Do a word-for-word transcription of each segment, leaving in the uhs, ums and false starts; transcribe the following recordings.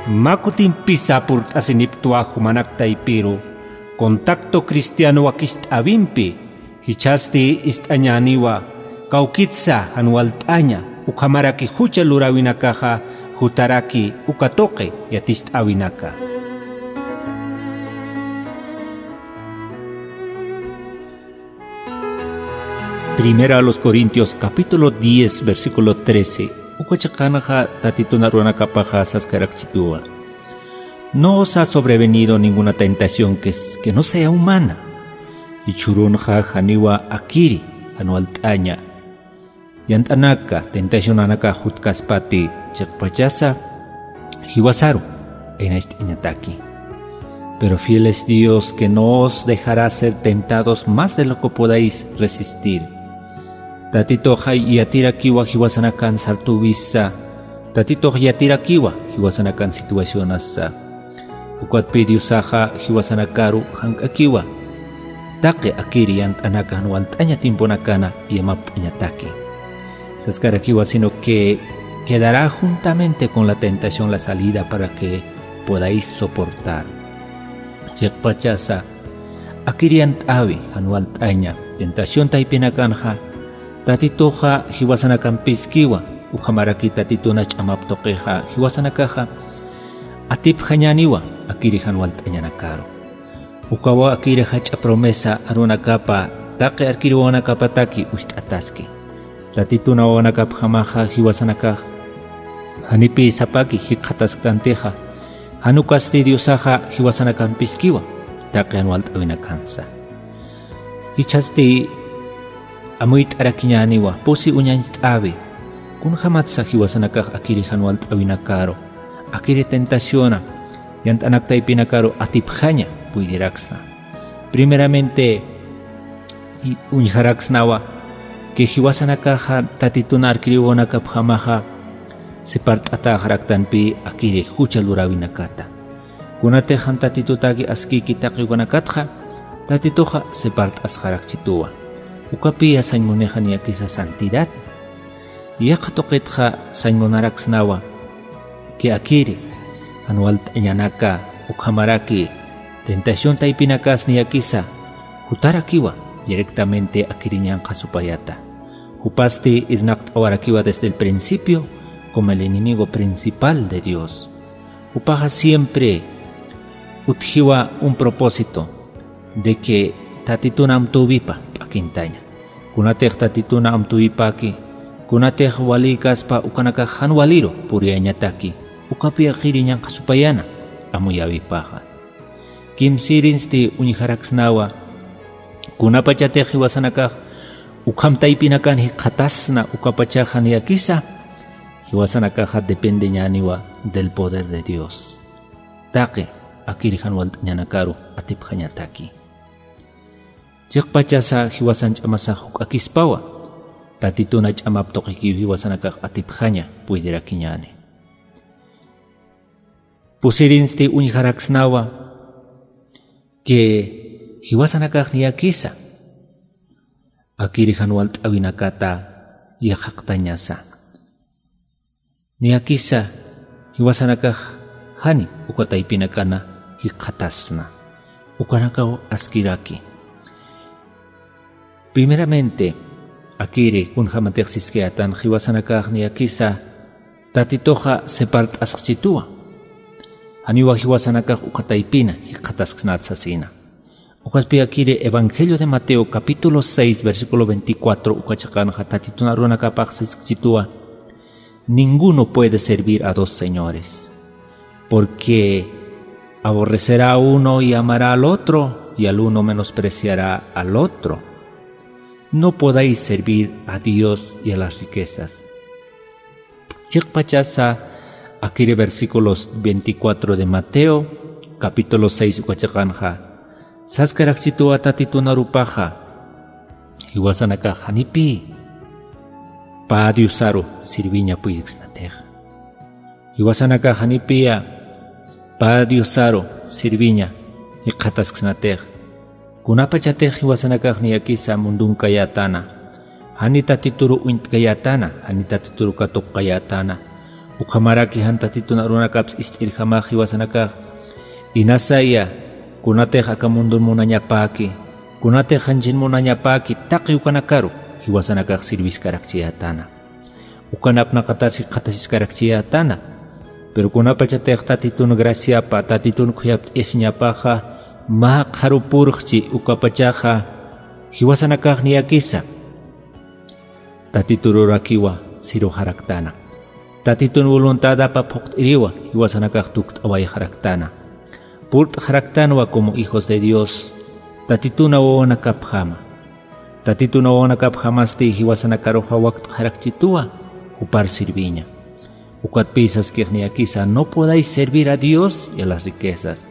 Mä kutimpisa purt'asiniptwa jumanak taypiru contacto cristiano wakist'äwimpi, jichhasti ist'añäniwa kawkitsa jan walt'aña ukhamaraki jucha luräwinakaxa jutaraki uka tuqi yatist'äwinaka. Primera a los Corintios capítulo diez, versículo trece. Uka chiqanxa Tatitun aruwanakapaxa saskarakchituwa: No os ha sobrevenido ninguna tentación que, que no sea humana. Jichhürunxa janiwa akiri jan walt'aña yant'anaka tentacionanakax jutkaspati, chiqpachasa jiwasaru aynacht'añataki. Pero fiel es Dios, que no os dejará ser tentados más de lo que podáis resistir. Tatitux yatirakiwa jiwasanakan sartüwisa, Tatitux yatirakiwa jiwasanakan situacionasa. Ukatpï Diosaxa jiwasanakaru jank'akiwa taqi akiri yant'anaka jan walt'aña tiemponakana yamapt'añataki. Saskarakiwa, sino que quedará juntamente con la tentación la salida para que podáis soportar. Chiqpachasa akiri yant'äwi jan walt'aña tentación taypinakanxa, Tatituxa jiwasanakampïskiwa, ukhamaraki Tatituna ch'amap tuqixa jiwasanakaxa atipjañäniwa akiri jan walt'añanakaru. Ukawa akiri jach'a promesa aruwanakapa taqi arkir wawanakapataki ucht'ataski. Tatitun wawanakapjamaxa jiwasanakax janipï sapaki jikxatasktantixa, jan ukasti Diosaxa jiwasanakampïskiwa taqi jan walt'äwinakansa. Jichhasti amuyt'arakiñäniwa pusi uñañcht'äwi, kunjamatsa jiwasanakax akiri jan walt'äwinakaru, akiri tentaciona yant'anak taypinakaru atipjaña puydiraksna. Primeramente, i-, uñjaraksnawa que jiwasanakaxa Tatitun arkir wawanakapjamaxa separt'atäxaraktanpï akiri jucha luräwinakata. Kunatix jan Tatitutaki askïki taqi ukanakatxa, Tatituxa separt'asxarakchituwa. Ukapïya sañ munixa niyakisa santidad. Yaqha tuqitxa sañ munaraksnawa que akiri jan walt'añanaka ukhamaraki tentación taypinakas niyakisa jutarakiwa directamente akiri ñanqha supayata. Jupasti irnaqt'awarakiwa desde el principio como el enemigo principal de Dios. Jupaxa siempre utjiwa un propósito de que Tatitun amtüwipa p'akintaña. Kunatix Tatitun amtüwipaki, kunatix walïkaspa ukanakax jan waliru puriyañataki, ukapï akiri ñanqha supayana amuyäwipaxa. Kimsïrinsti uñjaraksnawa, kunapachatix jiwasanakax ukham taypinakan jikxatasna ukapachaxa niyakisa, jiwasanakaxa dependeñäniwa del poder de Dios. Taqi akiri jan walt'añanakaru atipjañataki. Chiqpachasa jiwasan ch'amasax juk'akispawa, Tatituna ch'amap tuqikiw jiwasanakax atipjaña puydirakiñäni. Pusirinsti uñjaraksnawa que jiwasanakax niyakisa akiri jan walt'äwinakata yaqhaqtañasa. Niyakisa jiwasanakax jani uka taypinakana jikxatasna. Ukanakaw askiraki. Primeramente, akiri kunjamatix siskayätan jiwasanakax niyakisa Tatituxa separt'asxchituwa. Janiwa jiwasanakax uka taypina jikxatasksnat sasina. Ukatpï akiri Evangelio de Mateo capítulo seis, versículo veinticuatro, uka chiqanxa Tatitun aruwanakapax siskchituwa: Ninguno puede servir a dos señores, porque aborrecerá a uno y amará al otro, y al uno menospreciará al otro. No podéis servir a Dios y a las riquezas. Chiqpachasa akiri versículos veinticuatro de Mateo, capítulo seis uka chiqanxa, saskarakchituwa Tatitun arupaxa, jiwasanakax janipï pä diosaru sirviña puyiriksnatix. Jiwasanakax janipïya pä diosaru sirviña jikxatasksnatix. Kunapachatix jiwasanakax niyakisa mundunkayätana, jani Tatituru uñt'kayätana, jani Tatituru katuqkayätana, Ukhamaraki jan Tatitun arunakaps ist'irjamax jiwasanakax, inasaya, kunatix aka mundun munañapäki, kunatix janchin munañapäki, taqi ukanakaru jiwasanakax sirviskarakchiyätana. Ukan apnaqatas jikxatasiskarakchiyätana. Pero kunapachatix Tatitun graciapa, Tatitun khuyapt'ayasiñapaxa, mä qharupurxchi ukapachaxa, jiwasanakax niyakisa Tatitururakiwa sirwxaraktana. Tatitun voluntadapa phuqt'iriwa jiwasanakax tukt'awayxaraktana. Purt'xaraktanwa como hijos de Dios, Tatituna wawanakapjama. Tatituna wawanakapjamasti jiwasanakaruxa wakt'xarakchituwa jupar sirviña. Ukatpï saskix niyakisa, no podáis servir a Dios y a las riquezas.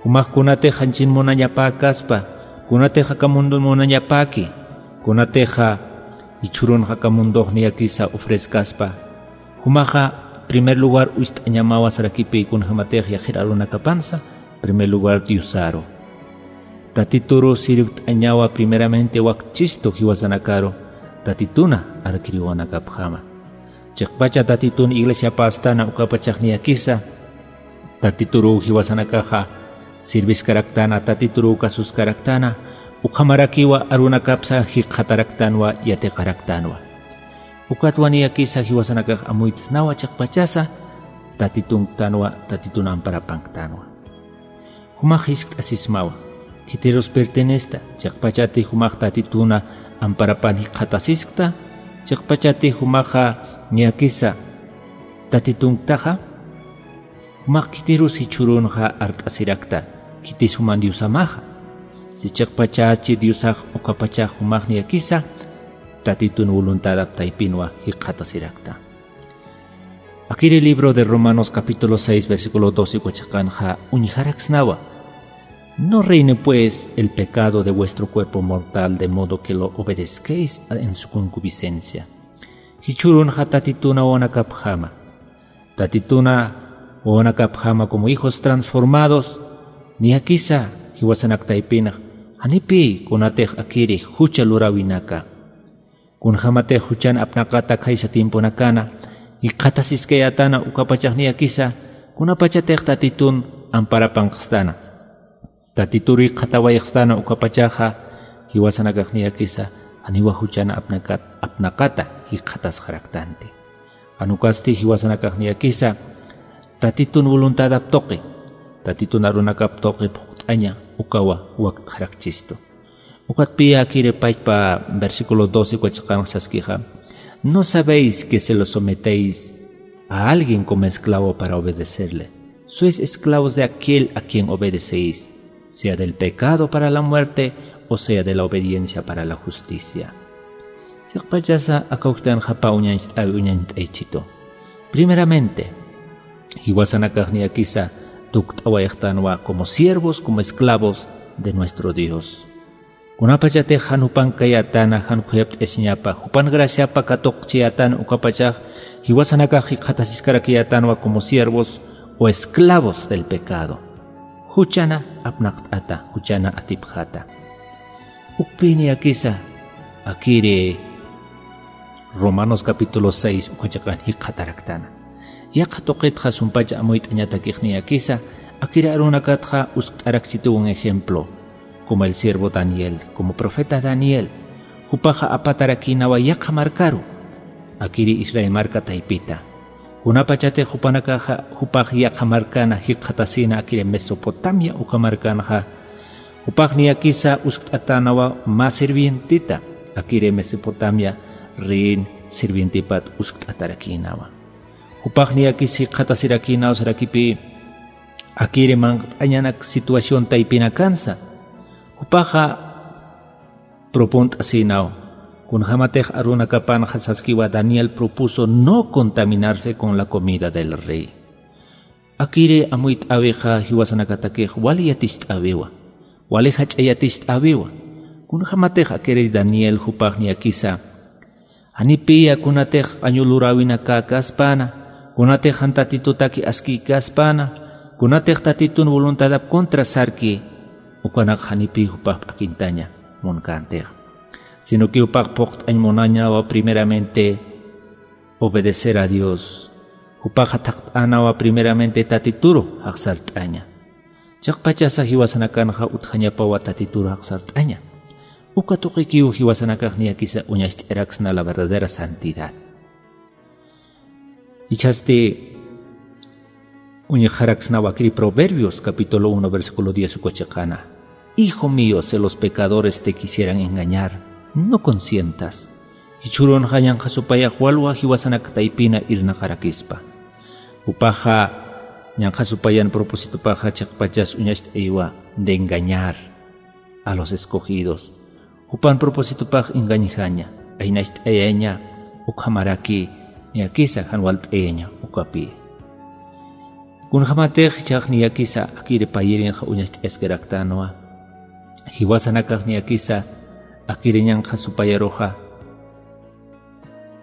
Jumax kunatix janchin munañapäkaspa, kunatix aka mundun munañapäki, kunatixa jichhürunx aka mundox niyakisa ofrezcaspa, jumaxa primer lugar uñst'añamawa sarakipï kunjämatix yaqhir arunakapansa, primer lugar Diosaru. Tatituru sirvt'añawa primeramente wakchistu jiwasanakaru, Tatituna arkiriwanakapjama. Chiqpacha Tatitun iglesiapästana ukapachax niyakisa, Tatituruw jiwasanakaxa sirviskaraktana, Tatituruw kasuskaraktana, ukhamarakiwa arunakapsa jikxataraktanwa, yatiqaraktanwa. Ukatwa niyakisa jiwasanakax amuyt'snawa chiqpachasa, Tatitunktanwa, Tatitun amparapanktanwa. Jumax jiskt'asismawa, khitirus pertenesta, chiqpachati jumax Tatituna amparapan jikxatasiskta, chiqpachati jumaxa niyakisa Tatitunktaxa, jumax khitirus jichhürunxa art'asirakta, khitis juman Diosamaxa. Si chiqpachachi Diosax ukapachax jumax niyakisa, Tatitun voluntadap taypinwa jikxatasirakta. Akiri libro de Romanos capítulo seis, versículo doce uka chiqanxa uñjaraksnawa. No reine pues el pecado de vuestro cuerpo mortal, de modo que lo obedezcáis en su concupiscencia. Jichhürunxa Tatituna wawanakapjama. Tatituna wawanakapjama como hijos transformados, niyakisa jiwasanak taypinx, janipï kunatix akiri jucha luräwinaka. Kunjämatix juchan apnaqata khaysa tiemponakana, jikxatasiskayätana ukapachax niyakisa, kunapachatix Tatitun amparapanqstana. Tatituru jikxatawayxstana ukapachaxa, jiwasanakax niyakisa, janiwa juchan apnaqat-, apnaqata jikxatasxaraktanti. Jan ukasti jiwasanakax niyakisa, Tatitun voluntadap tuqi, Tatitun arunakap tuqi phuqt'aña ukawa wakt'xarakchistu. Ukatpï akiri pachpa versículo doce uka chiqanx saskixa, ¿no sabéis que si os sometéis a alguien como esclavo para obedecerle, sois esclavos de aquel a quien obedecéis, sea del pecado para la muerte o sea de la obediencia para la justicia? Chiqpachasa aka uktanxa pä uñañcht'äwi uñañcht'aychitu. Primeramente, jiwasanakax niyakisa tukt'awayxtanwa como siervos, como esclavos de nuestro Dios. Kunapachatix jan jupan kayätana, jan khuyapt'ayasiñapa, jupan graciapa katuqchiyätana ukapachax, jiwasanakax jikxatasiskarakiyätanwa como siervos o esclavos del pecado. Juchana apnaqt'ata, juchana atipjata. Ukpï niyakisa, akiri Romanos capítulo seis uka chiqan jikxataraktana. Yaqha tuqitxa sumpach amuyt'añatakix niyakisa, akiri arunakatxa uskt'arakchituwan ejemplo, como el siervo Daniel, como profeta Daniel, jupaxa apatarakïnawa yaqha markaru, akiri Israel marka taypita. Kunapachatix jupanakaxa, jupax yaqha markana jikxatasïna akiri Mesopotamia uka markanxa, jupax niyakisa uskt'atänawa mä sirvientita, akiri Mesopotamia reyin sirvientipat uskt'atarakïnawa. Jupax niyakis jikxatasirakïnaw sarakipï, akiri manq't'añanak situación taypinakansa. Jupaxa propunt'asïnaw, kunjämatix arunakapanxa saskiwa Daniel propuso no contaminarse con la comida del rey. Akiri amuyt'äwixa jiwasanakatakix wali yaticht'äwiwa, wali jach'a yaticht'äwiwa. Kunjämatix akiri Daniel jupax niyakisa, janipïya kunatix q'añu luräwinakäkäspana, kunatix jan Tatitutaki askïkäspana, kunatix Tatitun voluntadap contra sarki, ukanak janipï jupax p'akintaña munkäntixa. Sino que jupax phuqt'añ munañawa primeramente obedecer a Dios, Jupaxa thaqt'änawa primeramente Tatituru jaqsart'aña. Chiqpachasa jiwasanakanxa utjañapawa Tatituru jaqsart'aña. Uka tuqikiw jiwasanakax niyakisa uñacht'araksna la verdadera santidad. Jichhasti uñjaraksnawa akiri Proverbios capítulo uno versículo diez uka chiqana: "Hijo mío, si los pecadores te quisieran engañar, no consientas". Jichhürunxa ñanqha supayax walwa jiwasanaka taypina irnaqarakispa. Jupaxa ñanqha supayan propósitopaxa chiqpachas uñacht'ayiwa de engañar a los escogidos. Jupan propósitopax engañjaña, aynacht'ayaña, ukhamaraki niyakisa jan walt'ayaña ukapi. Kunjamatix jichhax niyakisa akiri payirinxa uñacht'ayaskaraktänwa. Jiwasanakax niyakisa akiri ñanqha supayaruxa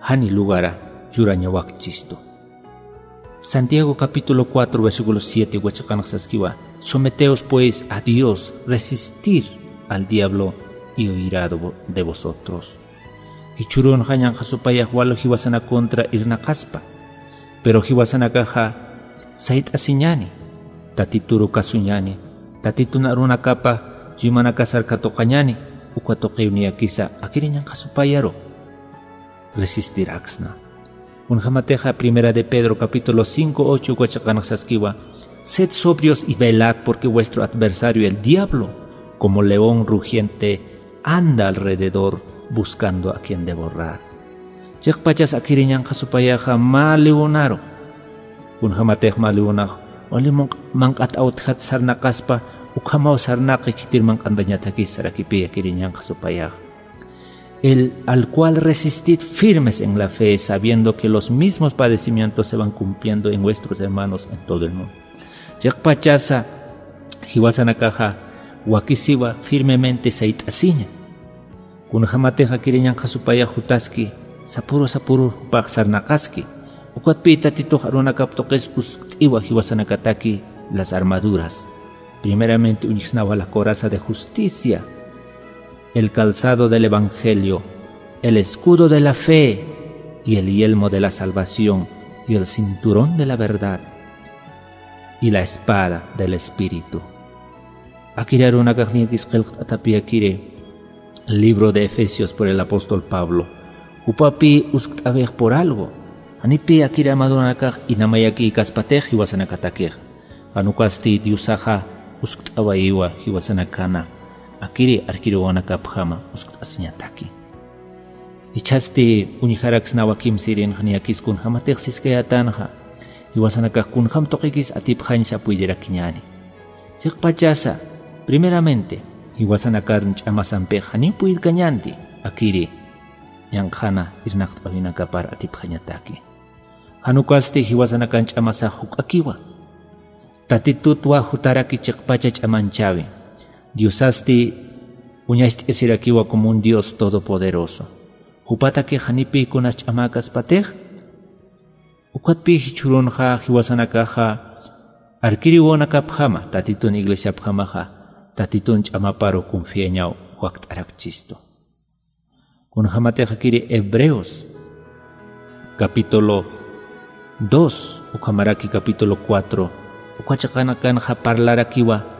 jani lugara churañawakchistu. Santiago capítulo cuatro versículo siete uka chiqanxa saskiwa: "Someteos pues a Dios, resistir al diablo y huirá de vo-, de vosotros". Jichhürunxa ñanqha supayax wal jiwasanak contra irnaqaspa. Pero jiwasanakaxa sayt'asiñani, Tatituru kasuñani, Tatitun arunakapa chuymanakasar katuqañani, uka tuqiw niyakisa akiri ñanqha supayaru resistiraksna. Kunjamatixa Primera de Pedro capítulo cinco ocho uka chiqanxa saskiwa: "Sed sobrios y velad, porque vuestro adversario, el diablo, como león rugiente, anda alrededor buscando a quien devorar". Chiqpachas akiri ñanqha supayaxa mä leonaru. Kunjamatix mä leonax wali manq-, manq'at awtjat sarnaqaspa, ukhamaw sarnaqi khitir manq'antañataki sarakipï akiri ñanqha supayaxa. El, al cual resistid firmes en la fe, sabiendo que los mismos padecimientos se van cumpliendo en vuestros hermanos en todo el mundo. Chiqpachasa jiwasanakaxa wakisiwa firmemente sayt'asiña. Kunjamatix akiri ñanqha supayax jutaski, sapüru sapürur jupax sarnaqaski. Ukatpï Tatitux arunakap tuqis uskt'iwa jiwasanakataki las armaduras. Primeramente uñjsnawa la coraza de justicia, el calzado del evangelio, el escudo de la fe y el yelmo de la salvación y el cinturón de la verdad y la espada del Espíritu. Akiri arunakax niyakis qillqt'atapï akiri libro de Efesios por el apóstol Pablo. Jupapï uskt'awix por algo. Janipï akiri armadurunakax inamayakïkaspatix jiwasanakatakix. Jan ukasti Diosaxa uskt'awayiwa jiwasanakana akiri arkiriwanakapjama uskt'asiñataki. Jichhasti uñjaraksnawa kimsïrinxa niyakis kunjamatix siskayätanxa, jiwasanakax kunjam tuqikis atipjañsa puytirakiñäni. Chiqpachasa, primeramente, jiwasanakar ch'amasampix janiw puytkañänti akiri ñanqhana irnaqt'awinakapar atipjañataki. Jan ukasti jiwasanakan ch'amasax juk'akiwa. Tatitutwa jutaraki chiqpacha ch'amanchäwi. Diosasti uñacht'asirakiwa como un Dios todopoderoso. Jupataki janipï kunas ch'amäkaspatix. Ukatpï jichhürunxa jiwasanakaxa arkiriwanakapjama, Tatitun iglesiapjamaxa, Tatitun ch'amaparu confiañaw wakt'arakchistu. Kunjamatix akiri Hebreos capítulo dos, ukhamaraki capítulo cuatro, uka chiqanakanxa parlarakiwa,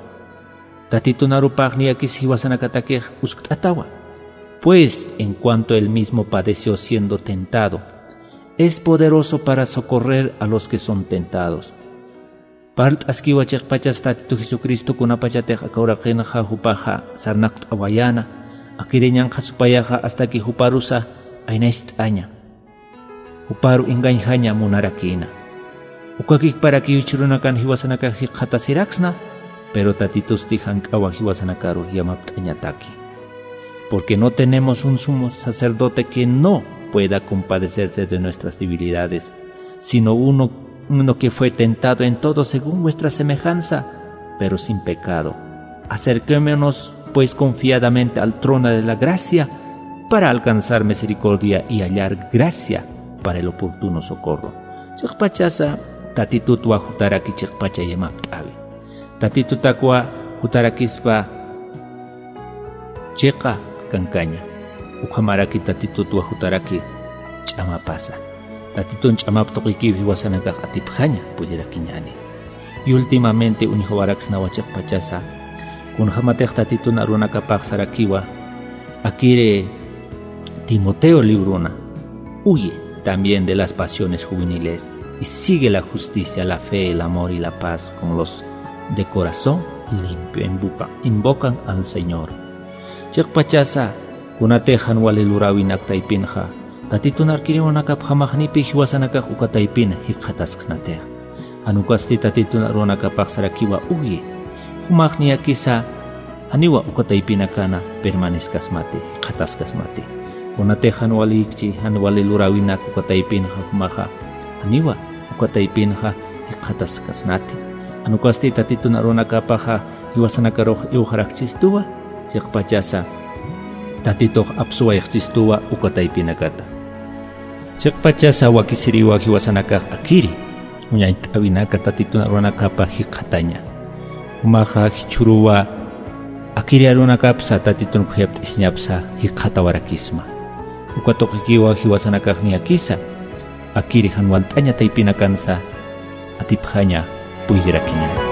Tatitun arupax niyakis jiwasanakatakix uskt'atawa. Pues, en cuanto él mismo padeció siendo tentado, es poderoso para socorrer a los que son tentados. Parlt'askiwa chiqpachas Tatitu Jesucristo kunapachatix aka uraqinxa jupaxa sarnaqt'awayäna, akiri ñanqha supayaxa hasta que juparusa aynacht'aña, juparu engañjaña munarakïna. Ukakiparakiw jichhürunakan jiwasanakax jikxatasiraksna, pero Tatitusti jank'awa jiwasanakaru yamapt'añataki. Porque no tenemos un sumo sacerdote que no pueda compadecerse de nuestras debilidades, sino uno, uno que fue tentado en todo según vuestra semejanza, pero sin pecado. Acerquémonos, pues, confiadamente al trono de la gracia para alcanzar misericordia y hallar gracia para el oportuno socorro. Chiqpachasa, Tatitutwa jutaraki chiqpacha yamapt'awi. Tatitutakwa jutarakispa chiqa kankaña. Ukhamaraki Tatitutwa jutaraki ch'amapasa. Tatitun ch'amap tuqikiw jiwasanakax atipjaña pullirakiñani. Y últimamente uñjawaraksnawa chiqpachasa, kunjämatix Tatitun arunakapax sarakiwa, akiri Timoteo librona, huye también de las pasiones juveniles y sigue la justicia, la fe, el amor y la paz con los de corazón limpio invoca- invocan al Señor. Chiqpachasa, kunatix jan wali luräwinak taypinxa, Tatitun arkiriwinakapjamax nipi jiwasanakax uka taypin jikxatasksnatix. Jan ukasti Tatitun arunakapax sarakiwa huye. Jumax niyakisa janiwa uka taypinakana permanezcaskasmati, jikxataskasmati. Kunatix jan walikchi, jan wali luräwinak uka taypinxa jumaxa, janiwa uka taypinxa jikxataskasnati. Jan ukasti Tatitun arunakapaxa jiwasanakarux iwxarakchistuwa, chiqpachasa Tatitux apsuwayxchistuwa uka taypinakata. Chiqpachasa wakisiriwa jiwasanakax akiri uñayt'äwinaka Tatitun arunakapa jikxataña. Jumaxa jichhüruwa akiri arunakapsa Tatitun khuyapt'isiñapsa jikxatawarakisma. Uka tuqikiwa jiwasanakax niyakisa, akiri jan walt'aña taypinakansa atipjaña puydirakiña.